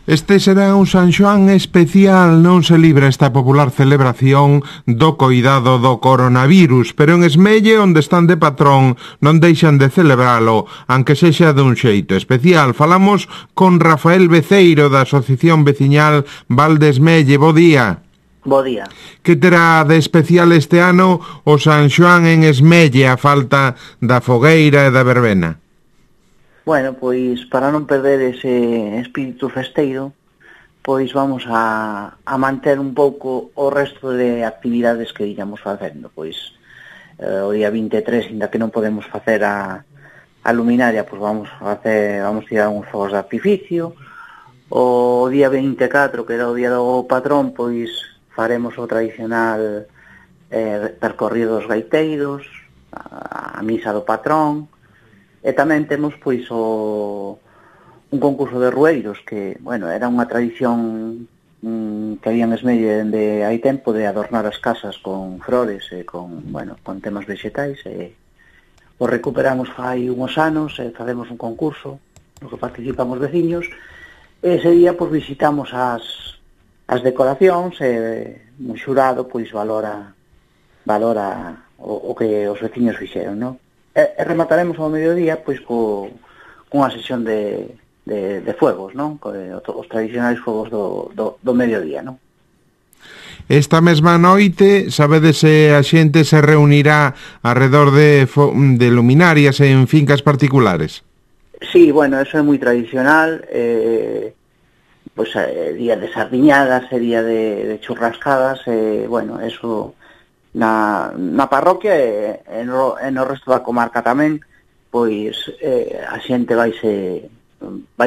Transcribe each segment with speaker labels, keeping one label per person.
Speaker 1: Este será un San Xoán especial, non se libra esta popular celebración do coidado do coronavirus, pero en Esmelle, onde están de patrón, non deixan de celebralo, aunque sexa dun xeito especial. Falamos con Rafael Beceiro, da Asociación Veciñal Val de Esmelle. Bo día.
Speaker 2: Bo día.
Speaker 1: Que terá de especial este ano o San Xoán en Esmelle, a falta da fogueira e da verbena?
Speaker 2: Bueno, pois para non perder ese espírito festeiro, pois vamos a manter un pouco o resto de actividades que íamos facendo. Pois o día 23, ainda que non podemos facer a luminaria, pois vamos tirar uns fogos de artificio. O día 24, que era o día do patrón, pois faremos o tradicional percorrido dos gaiteiros, a misa do patrón. E tamén temos pois un concurso de rueiros que, bueno, era unha tradición que había en Esmelle dende hai tempo de adornar as casas con flores e con temas vegetais, e o recuperamos fai uns anos e facemos un concurso no que participamos veciños, e ese día pois visitamos as decoracións e un xurado pois valora o que os veciños fixeron, non? E remataremos ao mediodía pois cunha sesión de fuegos, non? Os tradicionais fuegos do mediodía, non?
Speaker 1: Esta mesma noite, sabedes se a xente se reunirá alrededor de luminarias en fincas particulares?
Speaker 2: Sí, bueno, eso é moi tradicional, pois día de sardiñadas, día de churrascadas, bueno, eso na parroquia e no resto da comarca tamén, pois a xente vai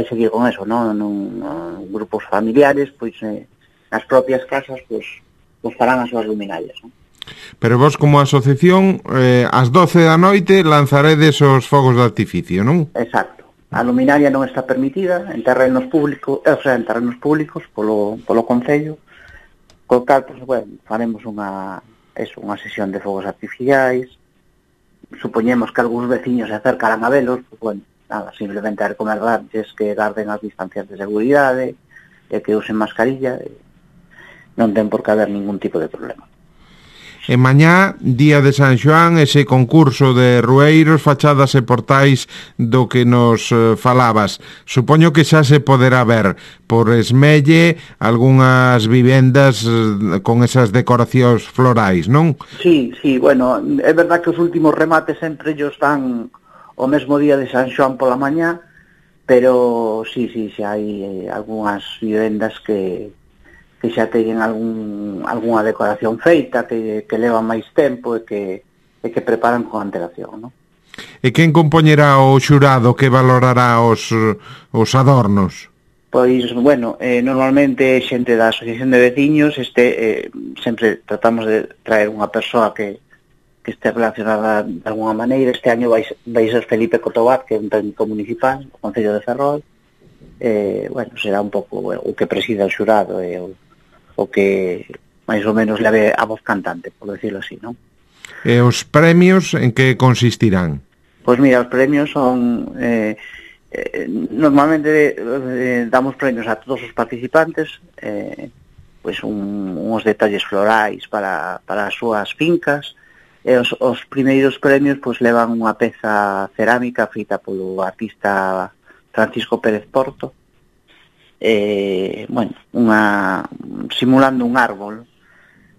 Speaker 2: seguir con eso, non? Nun grupos familiares, pois nas propias casas, pois farán as súas luminarias, non?
Speaker 1: Pero vos como asociación, ás 12 da noite lanzaredes os fogos de artificio, non?
Speaker 2: Exacto. A luminaria non está permitida en terrenos públicos, polo Concello, co cal, pois, bueno, faremos unha sesión de fogos artificiais. Supoñemos que algúns veciños se acercarán a velos, pues, bueno, nada, simplemente a recomendarlles que garden as distancias de seguridade e que usen mascarilla, non ten por que haber ningún tipo de problema.
Speaker 1: E mañá, día de San Xoán, ese concurso de rueiros, fachadas e portais do que nos falabas. Supoño que xa se poderá ver por Esmelle algunhas vivendas con esas decoracións florais, non?
Speaker 2: Sí, bueno, é verdad que os últimos remates sempre ellos dan o mesmo día de San Xoán pola mañá, pero sí, xa hai algunhas vivendas que xa teñen algunha decoración feita, que levan máis tempo e que preparan con antelación, non?
Speaker 1: E quen compoñerá o xurado que valorará os adornos?
Speaker 2: Pois, bueno, normalmente xente da Asociación de Veciños, sempre tratamos de traer unha persoa que este relacionada de alguna maneira. Este año vai ser Felipe Cotobat, que é un técnico municipal do Concello de Ferrol. Bueno, será un pouco o que presida o xurado e o que máis ou menos leve a voz cantante, por decirlo así, non?
Speaker 1: E os premios en que consistirán?
Speaker 2: Pois mira, os premios son... normalmente damos premios a todos os participantes, pois uns detalles florais para as súas fincas, e os primeiros premios pois levan unha peza cerámica feita polo artista Francisco Pérez Porto, bueno, simulando un árbol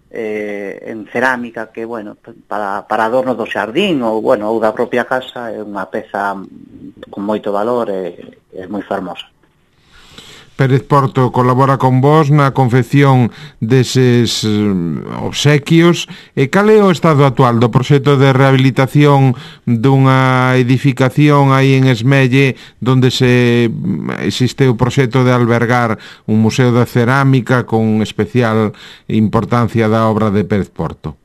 Speaker 2: en cerámica que, bueno, para adorno do xardín ou da propia casa. É unha peza con moito valor e é moi fermosa.
Speaker 1: Pérez Porto colabora con vos na confección deses obsequios. E cal é o estado actual do proxecto de rehabilitación dunha edificación aí en Esmelle, onde existe o proxecto de albergar un museo de cerámica con especial importancia da obra de Pérez Porto?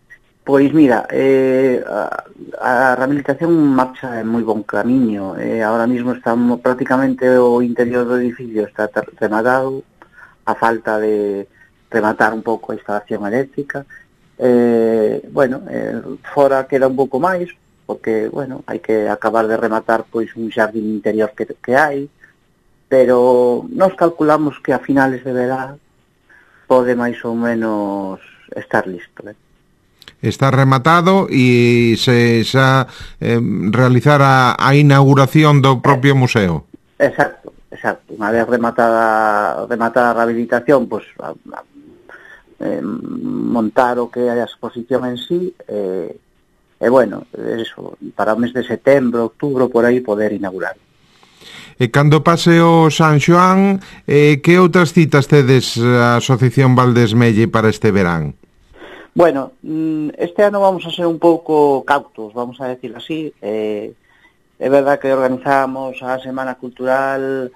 Speaker 2: Pois mira, a rehabilitación marcha en moi bon camiño. Ahora mismo estamos prácticamente o interior do edificio está rematado, a falta de rematar un pouco a instalación eléctrica. Fora queda un pouco máis, porque, bueno, hai que acabar de rematar pois un xardín interior que hai, pero nos calculamos que a finales de verán pode máis ou menos estar listo,
Speaker 1: Está rematado e se xa realizar a inauguración do propio museo.
Speaker 2: Exacto. Unha vez rematada a rehabilitación, pois montar o que é a exposición en sí, e bueno, eso, para o mes de setembro, outubro, por aí poder inaugurar.
Speaker 1: E cando pase o San Xoán, que outras citas tedes a Asociación Valdesmelle para este verán?
Speaker 2: Bueno, este ano vamos a ser un pouco cautos, vamos a decir así. É verdad que organizamos a Semana Cultural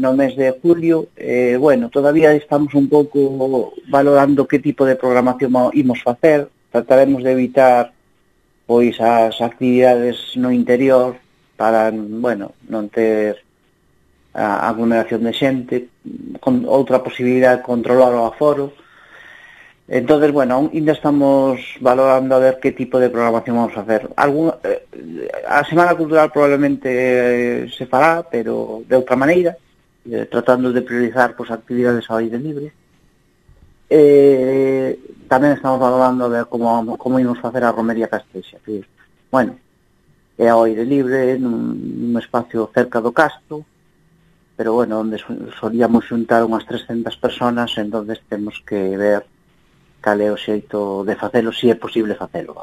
Speaker 2: no mes de julio. Bueno, todavía estamos un pouco valorando que tipo de programación imos facer. Trataremos de evitar pois as actividades no interior para, bueno, non ter a aglomeración de xente, con outra posibilidade de controlar o aforo. Entonces, bueno, ainda estamos valorando a ver que tipo de programación vamos a hacer. A Semana Cultural probablemente se fará, pero de outra maneira, tratando de priorizar pues, actividades ao aire libre. Tamén estamos valorando a ver como ímos facer a Romería Castrexa. Bueno, é ao aire libre, nun espacio cerca do Castro, pero bueno, onde solíamos xuntar unhas 300 personas, entonces temos que ver cal é o xeito de facelo, se é posible facelo.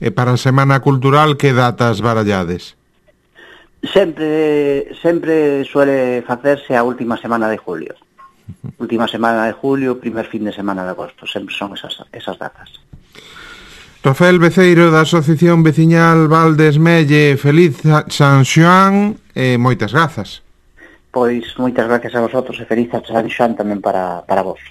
Speaker 1: E para a Semana Cultural, que datas barallades?
Speaker 2: Sempre suele facerse a última semana de julio. Última semana de julio, primer fin de semana de agosto. Sempre son esas datas.
Speaker 1: Rafael Beceiro, da Asociación Veciñal Valdesmelle, feliz San Xoán e moitas grazas.
Speaker 2: Pois moitas gracias a vosotros e feliz San Xoán tamén para vos.